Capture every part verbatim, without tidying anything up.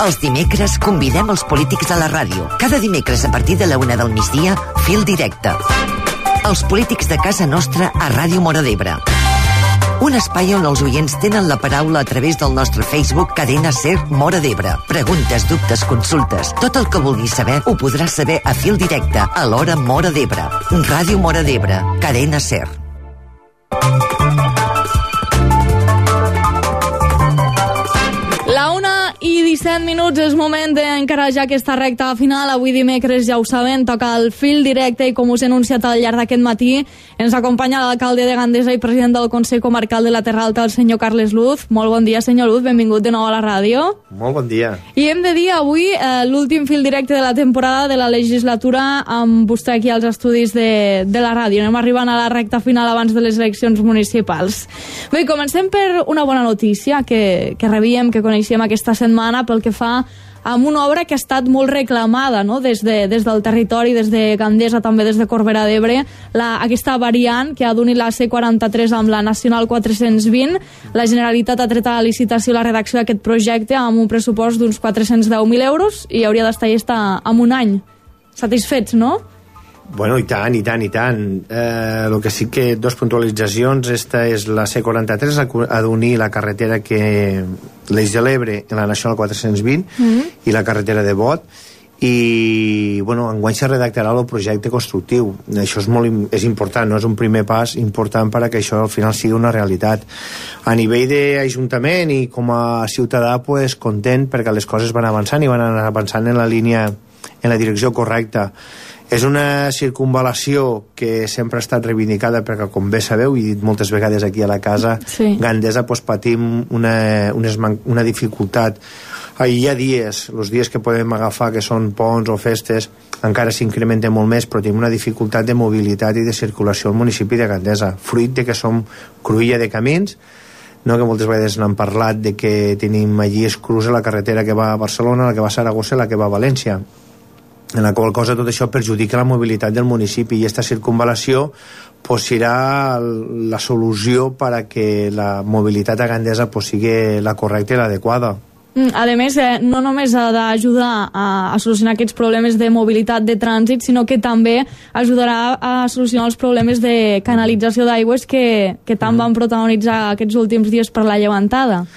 Els dimecres convidem els polítics a la ràdio. Cada dimecres a partir de la una del migdia, Fil Directe. Els polítics de casa nostra a Ràdio Móra d'Ebre. Un espai on els oients tenen la paraula a través del nostre Facebook Cadena Ser Móra d'Ebre. Preguntes, dubtes, consultes. Tot el que vulguis saber ho podràs saber a Fil Directe, a l'hora Móra d'Ebre. Ràdio Móra d'Ebre, Cadena Ser. La una i disset minuts és moment d'encarar ja aquesta recta final. Avui dimecres, ja ho saben, toca el Fil Directe i com us he anunciat al llarg d'aquest matí ens acompanya l'alcalde de Gandesa i president del Consell Comarcal de la Terra Alta, el senyor Carles Luz. Molt bon dia, senyor Luz, benvingut de nou a la ràdio. Molt bon dia. I hem de dir avui eh, l'últim Fil Directe de la temporada de la legislatura amb vostè aquí als estudis de, de la ràdio. Anem arribant a la recta final abans de les eleccions municipals. Bé, comencem per una bona notícia que, que rebíem, que coneixíem aquesta setmana pel que fa amb una obra que ha estat molt reclamada, no? des, de, des del territori, des de Gandesa, també des de Corbera d'Ebre, la, aquesta variant que ha d'unir la C quaranta-tres amb la Nacional quatre-cents vint. La Generalitat ha tret a la licitació la redacció d'aquest projecte amb un pressupost d'uns quatre-cents deu mil euros i hauria d'estar llesta en un any. Satisfets, no? Bueno, i tant, i tant, i tant. Eh, el que sí que dos puntualitzacions. Esta és la C quaranta-tres, ha d'unir la carretera que l'Eix de l'Ebre en la Nacional quatre-cents vint mm-hmm. i la carretera de Bot. I, bueno, enguany se redactarà el projecte constructiu. Això és molt és important, no? És un primer pas important perquè això al final sigui una realitat. A nivell d'Ajuntament i com a ciutadà, pues, content perquè les coses van avançant i van anar avançant en la línia, en la direcció correcta. És una circunvalació que sempre ha estat reivindicada perquè, com bé sabeu, i he dit moltes vegades aquí a la casa, sí. Gandesa pues, patim una, una, una dificultat. Hi ha dies, els dies que podem agafar, que són ponts o festes, encara s'incrementa molt més, però tenim una dificultat de mobilitat i de circulació al municipi de Gandesa, fruit de que som cruïlla de camins, no, que moltes vegades n'han parlat de que tenim allí esclusa la carretera que va a Barcelona, la que va a Saragossa i la que va a València, en la qual cosa tot això perjudica la mobilitat del municipi, i aquesta circunvalació pues, serà la solució per a que la mobilitat a Gandesa pues, sigui la correcta i l'adequada. A més, eh, no només ha d'ajudar a, a solucionar aquests problemes de mobilitat de trànsit, sinó que també ajudarà a solucionar els problemes de canalització d'aigües que, que tant van protagonitzar aquests últims dies per la llevantada.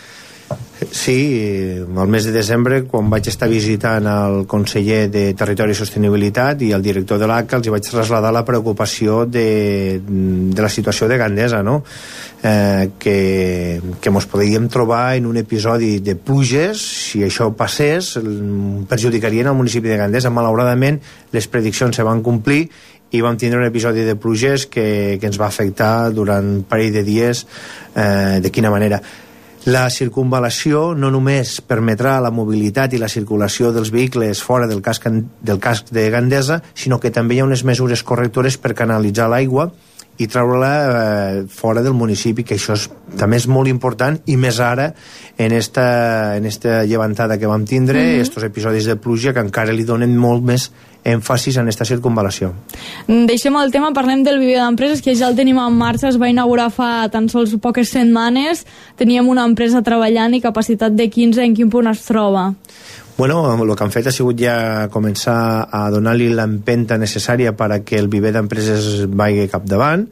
Sí, al mes de desembre, quan vaig estar visitant el conseller de Territori i Sostenibilitat i el director de l'A C A, els vaig traslladar la preocupació de, de la situació de Gandesa, no? Eh, que, que mos podríem trobar en un episodi de pluges. Si això passés, perjudicarien el municipi de Gandesa. Malauradament, les prediccions se van complir i vam tindre un episodi de pluges que, que ens va afectar durant un parell de dies. Eh, de quina manera? La circunvalació no només permetrà la mobilitat i la circulació dels vehicles fora del casc, del casc de Gandesa, sinó que també hi ha unes mesures correctores per canalitzar l'aigua i treure-la eh, fora del municipi, que això és, també és molt important, i més ara en esta, en esta llevantada que vam tindre, mm-hmm. estos episodis de pluja que encara li donen molt més èmfasis en aquesta circunvalació. Deixem el tema, parlem del viver d'empreses, que ja el tenim en marxa, es va inaugurar fa tan sols poques setmanes, teníem una empresa treballant i capacitat de quinze, en quin punt es troba? Bueno, el que han fet ha sigut ja començar a donar-li l'empenta necessària per a que el viver d'empreses vagi capdavant.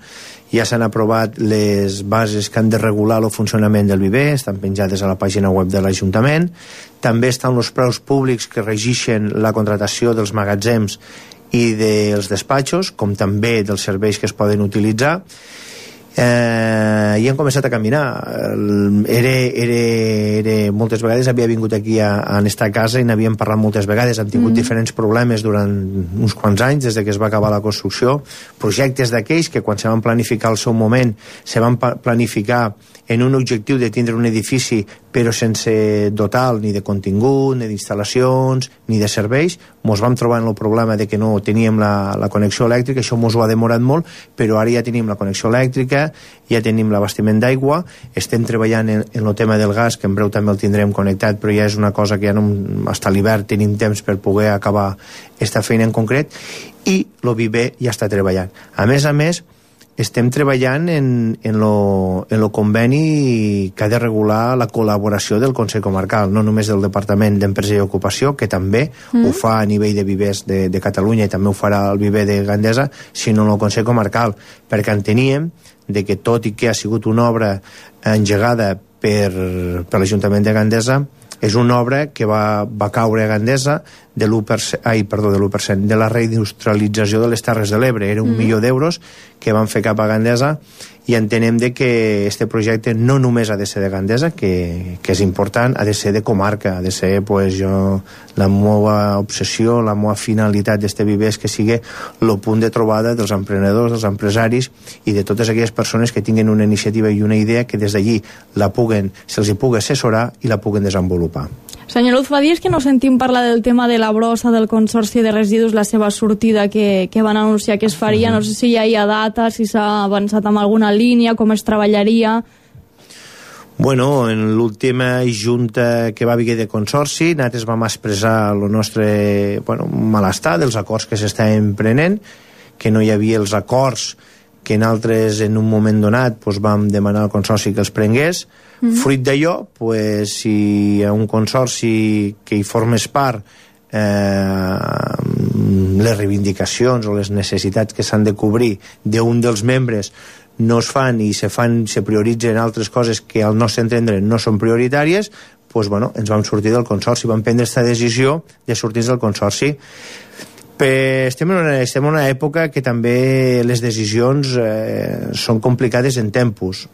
Ja s'han aprovat les bases que han de regular el funcionament del viver, estan penjades a la pàgina web de l'Ajuntament. També estan els preus públics que regeixen la contratació dels magatzems i dels despatxos, com també dels serveis que es poden utilitzar. Eh, i han començat a caminar. Era, era, era, moltes vegades havia vingut aquí a, a esta casa i n'havíem parlat moltes vegades. Hem tingut mm. diferents problemes durant uns quants anys des de que es va acabar la construcció, projectes d'aquells que quan se van planificar al seu moment se van planificar en un objectiu de tindre un edifici però sense dotar ni de contingut, ni d'instal·lacions, ni de serveis. Mos vam trobar en el problema de que no teníem la, la connexió elèctrica, això mos ho ha demorat molt, però ara ja tenim la connexió elèctrica, ja tenim l'abastiment d'aigua, estem treballant en, en el tema del gas, que en breu també el tindrem connectat, però ja és una cosa que ja no, fins a l'hivern tenim temps per poder acabar aquesta feina en concret, i el viver ja està treballant. A més a més, estem treballant en, en, lo, en lo conveni que ha de regular la col·laboració del Consell Comarcal, no només del Departament d'Empresa i Ocupació, que també mm. ho fa a nivell de vivers de, de Catalunya i també ho farà el viver de Gandesa, sinó en el Consell Comarcal, perquè enteníem de que tot i que ha sigut una obra engegada per, per l'Ajuntament de Gandesa, és una obra que va, va caure a Gandesa de l'u per cent, ai, perdó, de l'u per cent de la reindustrialització de les Terres de l'Ebre. Era un mm. milió d'euros que van fer cap a Gandesa i entenem de que este projecte no només ha de ser de Gandesa, que, que és important, ha de ser de comarca, ha de ser, pues, jo, la meva obsessió, la meva finalitat d'este viver és que sigui el punt de trobada dels emprenedors, dels empresaris i de totes aquelles persones que tinguin una iniciativa i una idea que des d'allí la puguen, se'ls hi pugui assessorar i la puguen desenvolupar. Senyor Luz, fa dies que no sentim parlar del tema de la brossa del Consorci de Residus, la seva sortida que, que van anunciar que es faria. No sé si ja hi ha data, si s'ha avançat amb alguna línia, com es treballaria. Bueno, en l'última junta que va haver de Consorci, nosaltres vam expressar el nostre, bueno, malestar dels acords que s'estaven prenent, que no hi havia els acords que nosaltres en un moment donat pues, vam demanar al Consorci que els prengués. Mm-hmm. Fruit d'allò, pues, si hi ha un consorci que hi formes part, eh, les reivindicacions o les necessitats que s'han de cobrir d'un dels membres no es fan i se fan, se prioritzen altres coses que al nostre entendre no són prioritàries, pues, bueno, ens vam sortir del consorci, vam prendre aquesta decisió de sortir del consorci. Però estem en, una, estem en una època que també les decisions eh, són complicades en tempos,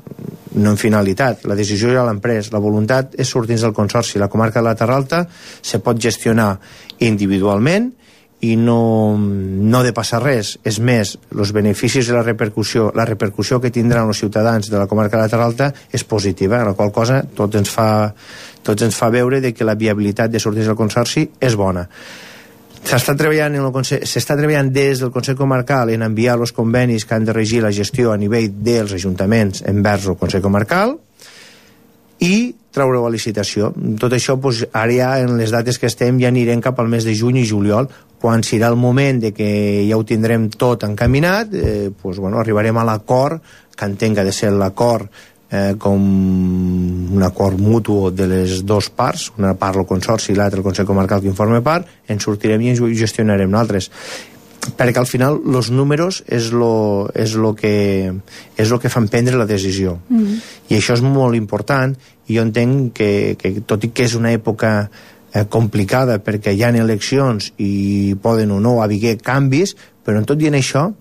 no en finalitat. La decisió ja l'han pres, la voluntat és sortir del consorci. La comarca de la Terra Alta se pot gestionar individualment i no, no de passar res. És més, els beneficis i la repercussió, la repercussió que tindran els ciutadans de la comarca de la Terra Alta és positiva, la qual cosa tot ens fa, tots ens fa veure de que la viabilitat de sortir del consorci és bona. S'està treballant, en el Consell, s'està treballant des del Consell Comarcal en enviar els convenis que han de regir la gestió a nivell dels ajuntaments envers el Consell Comarcal i treure la licitació. Tot això, doncs, ara ja en les dates que estem ja anirem cap al mes de juny i juliol, quan serà el moment de que ja ho tindrem tot encaminat, eh, doncs, bueno, arribarem a l'acord, que entenc que ha de ser l'acord Eh, com un acord mutu de les dues parts, una part el consorci i l'altra el Consell Comarcal que informa part, en sortirem i ens ho gestionarem nosaltres, perquè al final els números és lo, és lo que és lo que fan prendre la decisió. Mm. I això és molt important i jo entenc que, que tot i que és una època eh, complicada perquè hi ha eleccions i poden o no haver canvis, però en tot dient això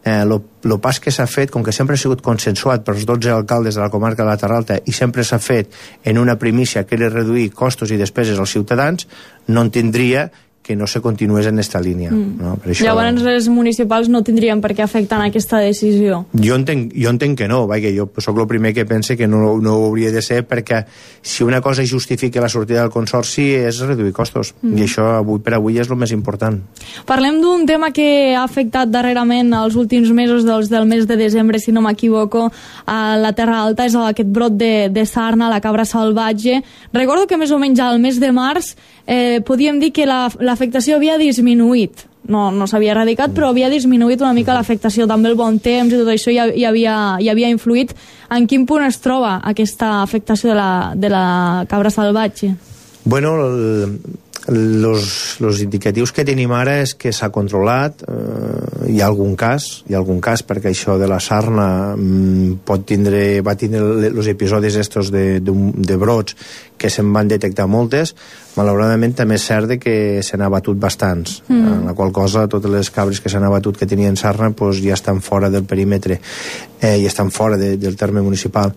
el eh, pas que s'ha fet, com que sempre ha sigut consensuat pels dotze alcaldes de la comarca de la Terra Alta i sempre s'ha fet en una primícia que era reduir costos i despeses als ciutadans, no en tindria que no se continués en aquesta línia. Mm. No? Per això... Llavors les municipals no tindrien per què afectar en aquesta decisió. Jo entenc, jo entenc que no, vaja, jo sóc el primer que pense que no, no ho hauria de ser, perquè si una cosa justifica la sortida del consorci és reduir costos, mm. i això avui per avui és el més important. Parlem d'un tema que ha afectat darrerament els últims mesos, dels del mes de desembre, si no m'equivoco, a la Terra Alta, és aquest brot de, de sarna, la cabra salvatge. Recordo que més o menys al mes de març eh, podíem dir que la, la l'afectació havia disminuït, no, no s'havia erradicat, però havia disminuït una mica l'afectació, també el bon temps i tot això hi, hi, havia, hi havia influït. En quin punt es troba aquesta afectació de la, de la cabra salvatge? Bueno, el, los, los indicatius que tenim ara és que s'ha controlat, eh, hi ha algun cas, hi ha algun cas perquè això de la sarna mm, pot tindre, va tindre els episodis estos de, de, de brots que se'n van detectar moltes. Malauradament també és cert que se n'ha abatut bastants, mm. en la qual cosa totes les cabres que s'han abatut que tenien sarna pues, ja estan fora del perímetre, eh, i estan fora de, del terme municipal.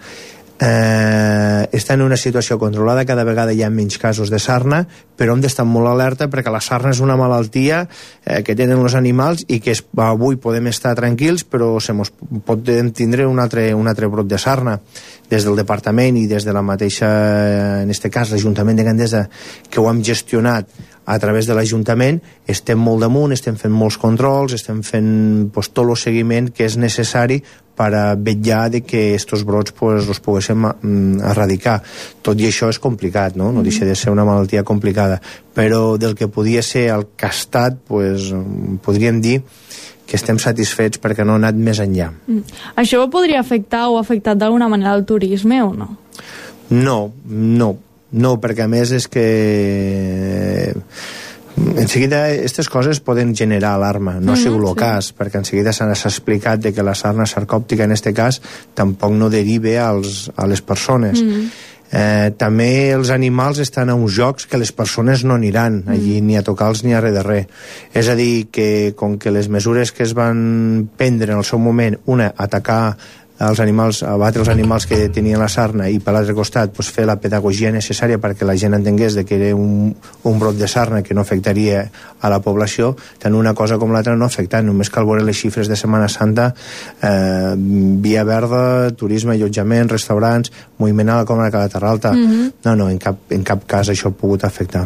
Eh, està en una situació controlada, cada vegada hi ha menys casos de sarna, però hem d'estar molt alerta perquè la sarna és una malaltia eh, que tenen els animals i que es, avui podem estar tranquils, però se mos pot tindre un altre, un altre brot de sarna. Des del departament i des de la mateixa, en aquest cas l'Ajuntament de Gandesa, que ho hem gestionat a través de l'Ajuntament, estem molt damunt, estem fent molts controls, estem fent pues, tot el seguiment que és necessari per a vetllar de que aquests brots pues, els poguéssim erradicar. Tot i això és complicat, no? No deixa de ser una malaltia complicada, però del que podia ser el castat, pues, podríem dir que estem satisfets perquè no ha anat més enllà. Mm. Això podria afectar o ha afectat d'alguna manera el turisme o no? No, no, no, perquè a més és que en seguida aquestes coses poden generar alarma, no ha sigut el cas, perquè en seguida s'ha explicat de que la sarna sarcòptica en aquest cas tampoc no deriva als, a les persones. Mm. Eh, també els animals estan a uns jocs que les persones no aniran allí, mm. ni a tocar-los ni a res de res. És a dir, que com que les mesures que es van prendre en el seu moment, una, atacar els animals, abatre els animals que tenien la sarna i per l'altre costat pues, fer la pedagogia necessària perquè la gent entengués de que era un, un brot de sarna que no afectaria a la població, tant una cosa com l'altra no afecta, només cal veure les xifres de Setmana Santa, eh, via verda, turisme, allotjament, restaurants, moviment a la comarca de Terra Alta. Mm-hmm. No, no, en cap, en cap cas això ha pogut afectar.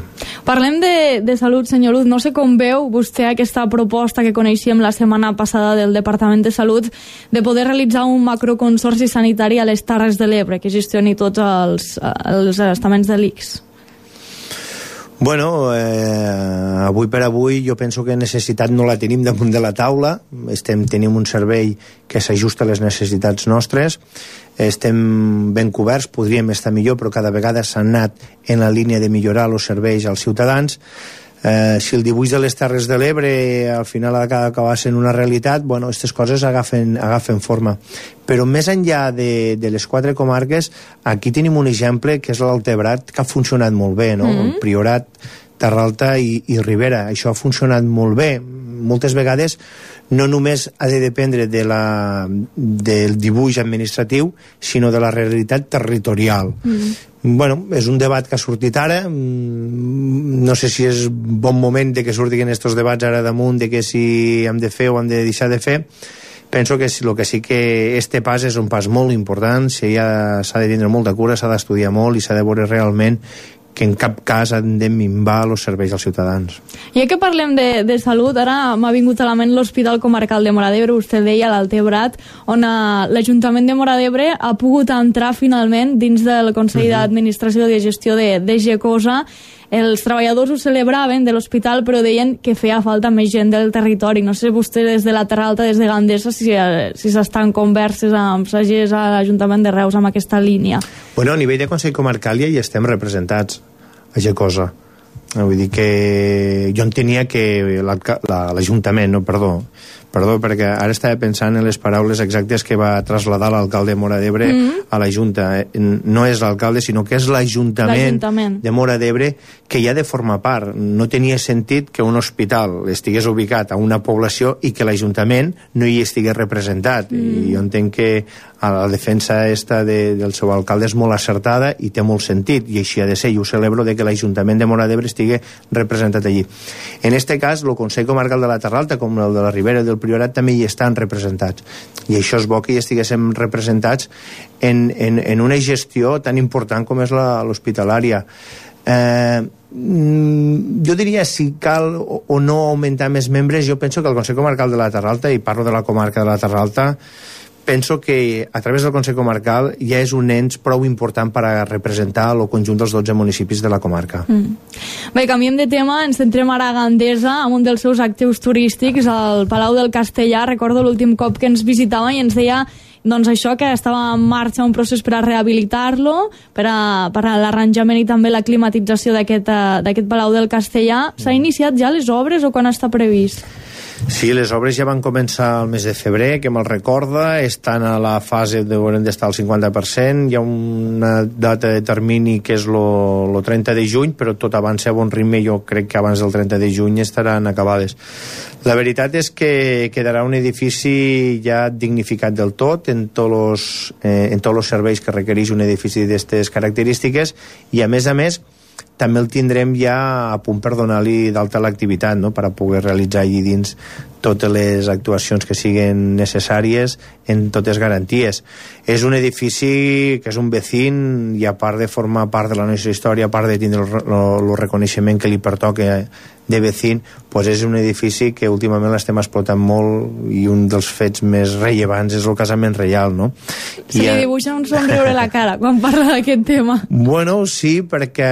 Parlem de, de salut, senyor Luz. No sé com veu vostè aquesta proposta que coneixíem la setmana passada del Departament de Salut de poder realitzar un macroconsorci sanitari a les Terres de l'Ebre que gestioni tots els, els estaments de l'I C S. Bueno, eh, avui per avui jo penso que necessitat no la tenim damunt de la taula. Estem, tenim un servei que s'ajusta a les necessitats nostres, estem ben coberts, podríem estar millor, però cada vegada s'ha anat en la línia de millorar els serveis als ciutadans. Eh, si el dibuix de les Terres de l'Ebre al final ha d'acabar sent una realitat, bueno, aquestes coses agafen, agafen forma. Però més enllà de, de les quatre comarques, aquí tenim un exemple que és l'Altebrat, que ha funcionat molt bé, no? Mm-hmm. El Priorat, Terra Alta i, i Ribera. Això ha funcionat molt bé. Moltes vegades no només ha de dependre de la, del dibuix administratiu, sinó de la realitat territorial. Mm-hmm. Bueno, és un debat que ha sortit ara, no sé si és bon moment de que surtin aquests debats ara damunt, de que si hem de fer o hem de deixar de fer. Penso que el que sí que este pas és un pas molt important, s'ha de tindre molta cura, s'ha d'estudiar molt i s'ha de veure realment que en cap cas han de minvar els serveis als ciutadans. Ja que parlem de, de salut, ara m'ha vingut a la ment l'Hospital Comarcal de Móra d'Ebre, vostè deia l'Altebrat, on uh, l'Ajuntament de Móra d'Ebre ha pogut entrar finalment dins del Consell uh-huh. d'Administració de Gestió de, de Gecosa. Els treballadors ho celebraven de l'hospital, però deien que feia falta més gent del territori. No sé vostè des de la Terra Alta, des de Gandesa, si, si s'estan converses amb sagers a l'Ajuntament de Reus amb aquesta línia. Bueno, a nivell de Consell Comarcal ja hi estem representats a Gecosa. Vull dir que jo entenia que l'Ajuntament, no, perdó, perdó, perquè ara estava pensant en les paraules exactes que va traslladar l'alcalde de Móra d'Ebre mm-hmm. a la Junta. No és l'alcalde, sinó que és l'Ajuntament de Móra d'Ebre que hi ha de formar part. No tenia sentit que un hospital estigués ubicat a una població i que l'Ajuntament no hi estigués representat. Mm. I jo entenc que la defensa esta de, del seu alcalde és molt acertada i té molt sentit, i així ha de ser. Jo celebro de que l'Ajuntament de Móra d'Ebre estigui representat allí. En este cas, el Consell Comarcal de la Terra Alta, com el de la Ribera i del Priorat, també hi estan representats. I això és bo que hi estiguéssim representats en, en, en una gestió tan important com és l'hospitalària. Eh, jo diria si cal o, o no augmentar més membres. Jo penso que el Consell Comarcal de la Terra Alta, i parlo de la comarca de la Terra Alta, penso que a través del Consell Comarcal ja és un ens prou important per a representar el conjunt dels dotze municipis de la comarca. Mm. Bé, canviem de tema, ens centrem ara a Gandesa amb un dels seus actius turístics, el Palau del Castellar. Recordo l'últim cop que ens visitava i ens deia doncs això, que estava en marxa un procés per a rehabilitar-lo, per a, per a l'arranjament i també la climatització d'aquest d'aquest Palau del Castellar. S'ha iniciat ja les obres o quan està previst? Sí, les obres ja van començar el mes de febrer, que me'l recorda, estan a la fase de haurem d'estar al cinquanta per cent, hi ha una data de termini que és el trenta de juny, però tot avança a bon ritme, jo crec que abans del trenta de juny estaran acabades. La veritat és que quedarà un edifici ja dignificat del tot en tots los, eh, en tots els serveis que requereix un edifici d'aquestes característiques, i a més a més també el tindrem ja a punt per donar-li d'alta l'activitat, no?, per a poder realitzar allí dins totes les actuacions que siguin necessàries en totes garanties. És un edifici que és un vecín, i a part de formar part de la nostra història, a part de tindre el reconeixement que li pertoca de vecín, pues és un edifici que últimament l'estem explotant molt, i un dels fets més rellevants és el casament reial, no? Se li dibuixa un somriure a la cara quan parla d'aquest tema. Bueno, sí, perquè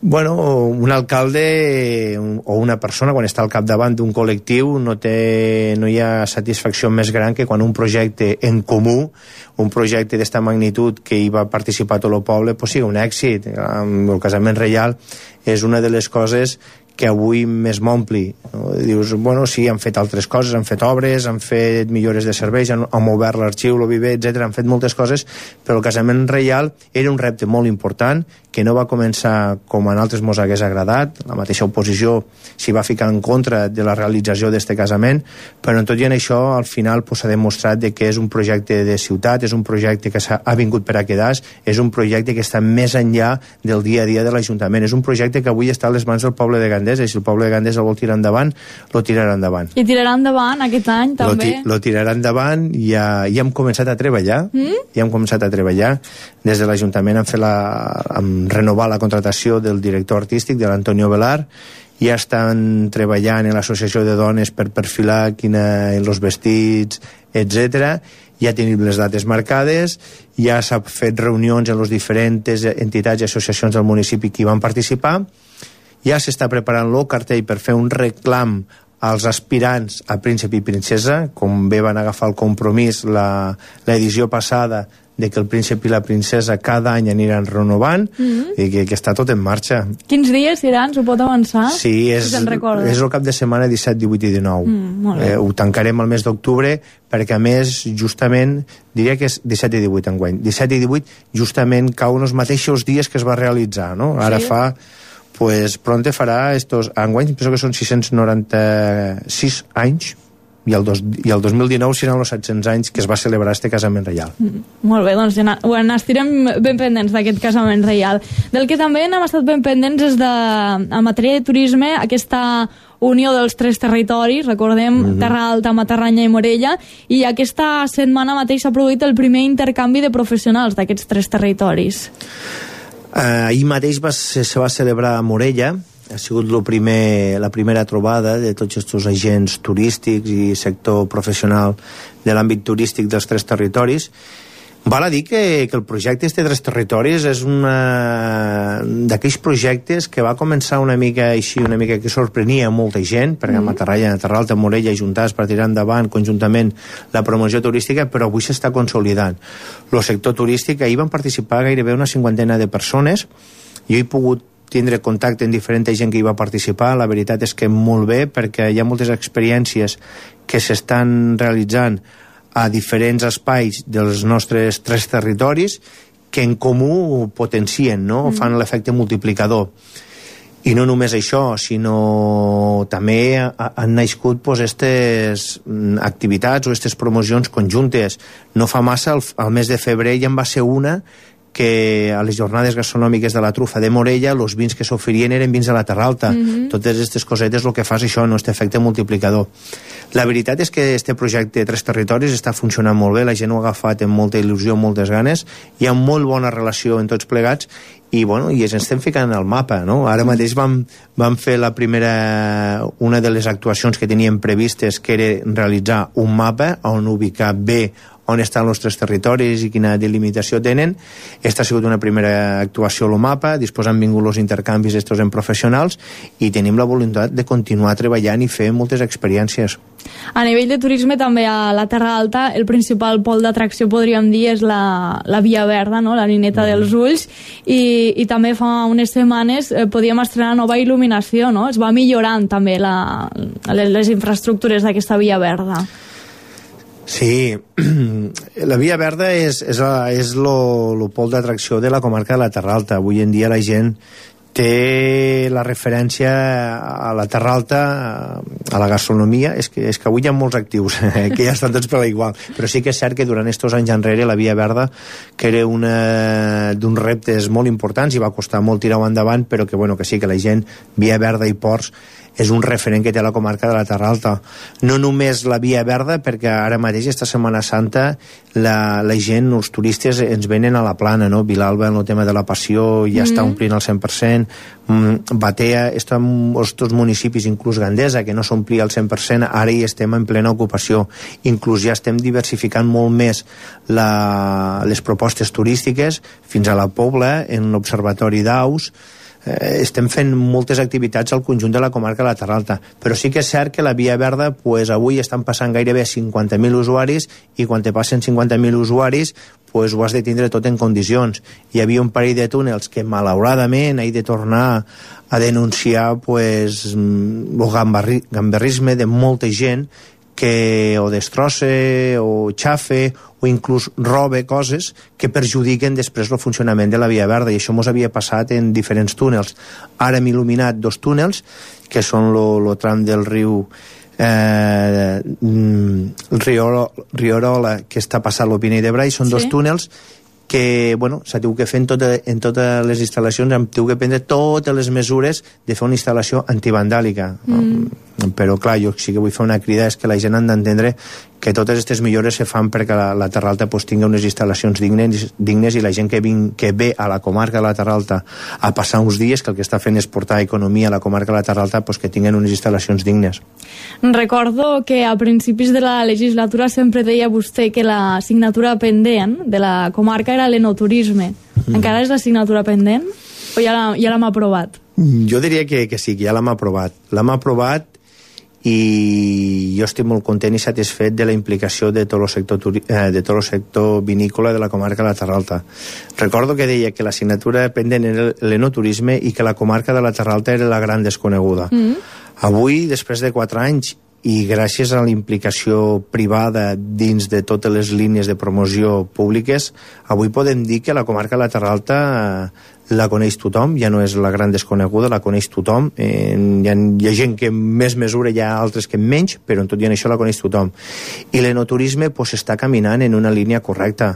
Bueno, un alcalde o una persona, quan està al capdavant d'un col·lectiu, no, té, no hi ha satisfacció més gran que quan un projecte en comú, un projecte d'esta magnitud que hi va participar tot el poble, pues sigui un èxit. El casament reial és una de les coses que avui més m'ompli, no? Dius, bueno, sí, han fet altres coses, han fet obres, han fet millores de serveis, han, han obert l'arxiu, l'O V I V, etcètera, han fet moltes coses, però el casament reial era un repte molt important, que no va començar com a altres mos hagués agradat, la mateixa oposició s'hi va ficar en contra de la realització d'aquest casament, però en tot i en això, al final s'ha pues, demostrat de que és un projecte de ciutat, és un projecte que ha vingut per a quedar, és un projecte que està més enllà del dia a dia de l'Ajuntament, és un projecte que avui està a les mans del poble de Gandesa, i si el poble de Gandesa el vol tirar endavant, lo tirarà endavant. I tirarà endavant aquest any, també? Lo, ti lo tirarà endavant, i ja, ja hem començat a treballar, mm? ja hem començat a treballar, des de l'Ajuntament hem fet la... Hem renovar la contratació del director artístic, de l'Antonio Velar, ja estan treballant en l'associació de dones per perfilar quina, els vestits, etcètera. Ja tenim les dates marcades, ja s'ha fet reunions en les diferents entitats i associacions del municipi que hi van participar, ja s'està preparant el cartell per fer un reclam als aspirants a príncep i princesa, com bé van agafar el compromís l'edició passada de que el príncep i la princesa cada any aniran renovant, mm-hmm. i que, que està tot en marxa. Quins dies seran? S'ho pot avançar? Sí, és, si és el cap de setmana disset, divuit i dinou. Mm, eh, ho tancarem al mes d'octubre, perquè a més, justament, diria que és disset i divuit enguany. disset i divuit justament cauen els mateixos dies que es va realitzar, no? Ara sí. fa... Pues pronte farà estos enguany, penso que són sis-cents noranta-sis anys, i el, dos, i el dos mil dinou seran els set-cents anys que es va celebrar este casament reial. Mm, molt bé, doncs ja bueno, estirem ben pendents d'aquest casament reial. Del que també hem estat ben pendents és de, en matèria de turisme, aquesta unió dels tres territoris, recordem, mm-hmm. Terra Alta, Matarranya i Morella, i aquesta setmana mateix s'ha produït el primer intercanvi de professionals d'aquests tres territoris. Uh, ahir mateix va, se, se va celebrar a Morella, ha sigut lo primer, la primera trobada de tots aquests agents turístics i sector professional de l'àmbit turístic dels tres territoris. Val a dir que, que el projecte este de tres territoris és una d'aquells projectes que va començar una mica així, una mica que sorprenia molta gent, perquè mm. a Matarranya, Terra Alta, Morella i juntades per tirar endavant conjuntament la promoció turística, però avui s'està consolidant. El sector turístic, ahir van participar gairebé una cinquantena de persones, jo he pogut tindre contacte amb diferent gent que hi va participar, la veritat és que molt bé, perquè hi ha moltes experiències que s'estan realitzant a diferents espais dels nostres tres territoris que en comú potencien, no? Mm. Fan l'efecte multiplicador. I no només això, sinó també han nascut pues, estes activitats o estes promocions conjuntes. No fa massa, al, al mes de febrer ja en va ser una que a les jornades gastronòmiques de la Trufa de Morella els vins que s'oferien eren vins de la Terra Alta. Mm-hmm. Totes aquestes cosetes el que fa és això, no? Este efecte multiplicador. La veritat és que este projecte de tres territoris està funcionant molt bé, la gent ho ha agafat amb molta il·lusió, moltes ganes, hi ha molt bona relació en tots plegats i, bueno, i ens estem ficant al mapa, no? Ara mateix vam, vam fer la primera, una de les actuacions que teníem previstes, que era realitzar un mapa on ubicar bé on estan els tres territoris i quina delimitació tenen. Esta ha sigut una primera actuació al mapa, després han vingut els intercanvis estos en professionals i tenim la voluntat de continuar treballant i fer moltes experiències. A nivell de turisme també a la Terra Alta el principal pol d'atracció podríem dir és la, la Via Verda, no? La Nineta mm. dels Ulls, i, i també fa unes setmanes eh, podíem estrenar nova il·luminació, no? Es va millorant també la, les, les infraestructures d'aquesta Via Verda. Sí, la Via Verda és, és, és lo, lo pol d'atracció de la comarca de la Terra Alta. Avui en dia la gent té la referència a la Terra Alta, a la gastronomia. És que, és que avui hi ha molts actius que ja estan tots per igual, però sí que és cert que durant estos anys enrere la Via Verda, que era una d'uns reptes molt importants i va costar molt tirar-ho endavant, però que, bueno, que sí que la gent, Via Verda i ports, és un referent que té la comarca de la Terra Alta. No només la Via Verda, perquè ara mateix, esta Setmana Santa, la, la gent, els turistes, ens venen a la plana, no? Vilalba, en el tema de la passió, ja mm-hmm. està omplint al cent per cent. Mm, Batea, estem els dos municipis, inclús Gandesa, que no s'omplia al cent per cent, ara hi estem en plena ocupació. Inclús ja estem diversificant molt més la, les propostes turístiques fins a la Pobla, en l'Observatori d'Aus. eh, estem fent moltes activitats al conjunt de la comarca de la Terra Alta, però sí que és cert que la Via Verda pues, avui estan passant gairebé cinquanta mil usuaris, i quan te passen cinquanta mil usuaris pues, ho has de tindre tot en condicions. Hi havia un parell de túnels que malauradament he de tornar a denunciar pues, el gamberri, gamberrisme de molta gent que o destrosse o xafe o inclús robe coses que perjudiquen després el funcionament de la Via Verda, i això mos havia passat en diferents túnels. Ara hem il·luminat dos túnels que són el tram del riu eh, el Riorola, que està passant el Pinell de Brai. Són sí. dos túnels que, bueno, s'ha tingut que fer en, tota, en totes les instal·lacions, hem tingut que prendre totes les mesures de fer una instal·lació antivandàlica. Mm. Però, clar, jo sí que vull fer una crida, és que la gent han d'entendre que totes aquestes millores se fan perquè la, la Terra Alta pues, tingui unes instal·lacions dignes, dignes i la gent que, vin, que ve a la comarca de la Terra Alta a passar uns dies, que el que està fent és portar economia a la comarca de la Terra Alta, pues, que tinguin unes instal·lacions dignes. Recordo que a principis de la legislatura sempre deia vostè que la assignatura pendent de la comarca era l'enoturisme. Mm. Encara és l'assignatura pendent o ja, la, ja l'hem aprovat? Jo diria que, que sí, que ja l'hem aprovat. L'hem aprovat i jo estic molt content i satisfet de la implicació de tot el sector, eh, de tot el sector vinícola de la comarca de la Terra Alta. Recordo que deia que l'assignatura pendent era l'enoturisme i que la comarca de la Terra Alta era la gran desconeguda. Mm. Avui, després de quatre anys, i gràcies a la implicació privada dins de totes les línies de promoció públiques, avui podem dir que la comarca de la Terra Alta la coneix tothom, ja no és la gran desconeguda, la coneix tothom. Eh, hi, ha, hi ha gent que més mesura, hi ha altres que menys, però en tot i en això la coneix tothom. I l'enoturisme pues, està caminant en una línia correcta.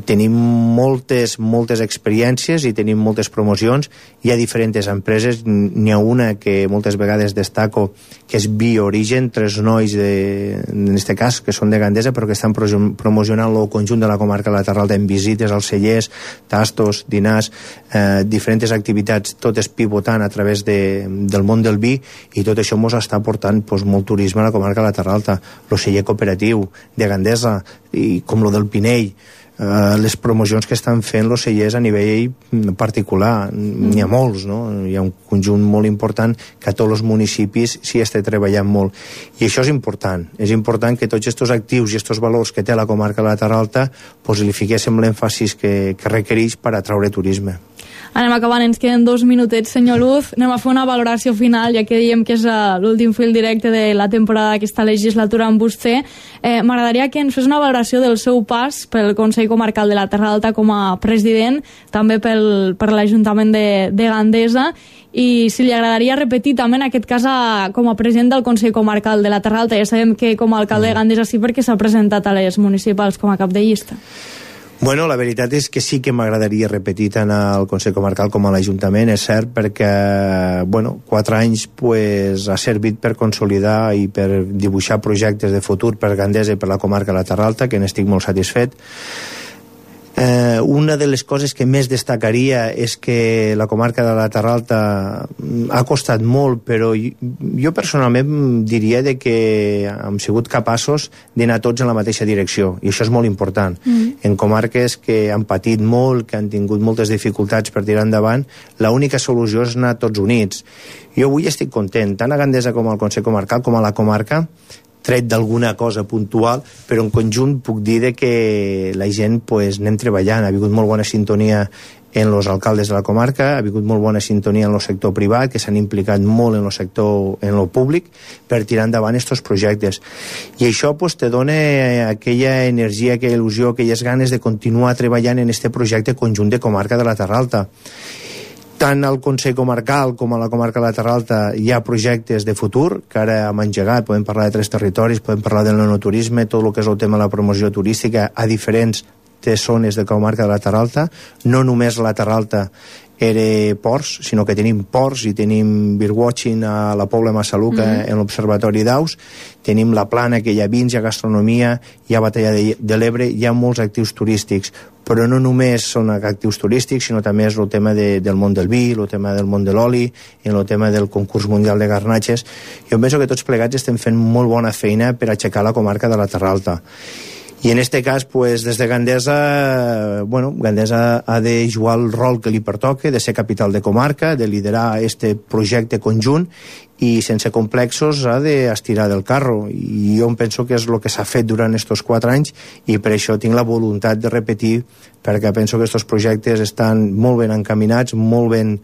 Tenim moltes, moltes experiències i tenim moltes promocions. Hi ha diferents empreses, n'hi ha una que moltes vegades destaco, que és Bioorigen, tres nois, de, en aquest cas, que són de Gandesa, però que estan promocionant el conjunt de la comarca de la Terra Alta en visites als cellers, tastos, dinars, eh, diferents activitats, totes pivotant a través de, del món del vi, i tot això ens està portant pues, molt turisme a la comarca de la Terra Alta. El celler cooperatiu de Gandesa, i com el del Pinell, eh, les promocions que estan fent els cellers a nivell particular, mm. n'hi ha molts, no? Hi ha un conjunt molt important que a tots els municipis s'hi està treballant molt, i això és important. És important que tots aquests actius i aquests valors que té la comarca de la Terra Alta pues, li fiquéssim l'èmfasis que, que requereix per atraure turisme. Anem acabant, ens queden dos minutets, senyor Luz. Anem a fer una valoració final, ja que diem que és l'últim fil directe de la temporada d'aquesta legislatura amb vostè. Eh, M'agradaria que ens fes una valoració del seu pas pel Consell Comarcal de la Terra Alta com a president, també pel, per l'Ajuntament de, de Gandesa, i si li agradaria repetir també en aquest cas a, com a president del Consell Comarcal de la Terra Alta. Ja sabem que com a alcalde de Gandesa sí, perquè s'ha presentat a les municipals com a cap de llista. Bueno, la veritat és que sí que m'agradaria repetir tant al Consell Comarcal com a l'Ajuntament, és cert, perquè, bueno, quatre anys pues, ha servit per consolidar i per dibuixar projectes de futur per Gandesa i per la comarca de la Terra Alta, que n'estic molt satisfet. Eh, una de les coses que més destacaria és que la comarca de la Terra Alta ha costat molt, però jo personalment diria de que hem sigut capaços d'anar tots en la mateixa direcció, i això és molt important. Mm. En comarques que han patit molt, que han tingut moltes dificultats per tirar endavant, l'única solució és anar tots units. Jo avui estic content, tant a Gandesa com al Consell Comarcal com a la comarca, tret d'alguna cosa puntual, però en conjunt puc dir de que la gent pues, anem treballant, ha hagut molt bona sintonia en els alcaldes de la comarca, ha hagut molt bona sintonia en el sector privat, que s'han implicat molt en el sector, en el públic, per tirar endavant aquests projectes. I això pues, te dona aquella energia, aquella il·lusió, aquelles ganes de continuar treballant en aquest projecte conjunt de comarca de la Terra Alta. Tant al Consell Comarcal com a la comarca de la Terra Alta hi ha projectes de futur que ara hem engegat. Podem parlar de tres territoris, podem parlar del nonoturisme, tot el que és el tema de la promoció turística a diferents zones de comarca de la Terra Alta. No només la Terra Alta era ports, sinó que tenim ports i tenim birdwatching a la Pobla Massaluca, mm-hmm. en l'Observatori d'Aus, tenim la Plana, que hi ha vins, hi ha gastronomia, hi ha Batalla de, de l'Ebre, hi ha molts actius turístics, però no només són actius turístics, sinó també és el tema de, del món del vi, el tema del món de l'oli, i el tema del concurs mundial de garnatges. Jo penso que tots plegats estem fent molt bona feina per aixecar la comarca de la Terra Alta. I en este cas, pues, des de Gandesa, bueno, Gandesa ha de jugar el rol que li pertoque, de ser capital de comarca, de liderar este projecte conjunt, i sense complexos ha d'estirar del carro, i jo em penso que és el que s'ha fet durant aquests quatre anys, i per això tinc la voluntat de repetir, perquè penso que aquests projectes estan molt ben encaminats, molt ben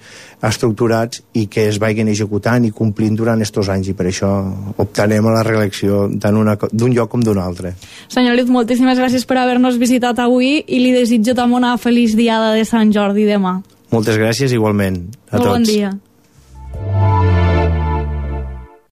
estructurats, i que es vagin executant i complint durant aquests anys, i per això optarem a la reelecció tant d'un lloc com d'un altre. Senyor Luz, moltíssimes gràcies per haver-nos visitat avui, i li desitjo també una feliç diada de Sant Jordi demà. Moltes gràcies, igualment, a tots. Molt bon dia.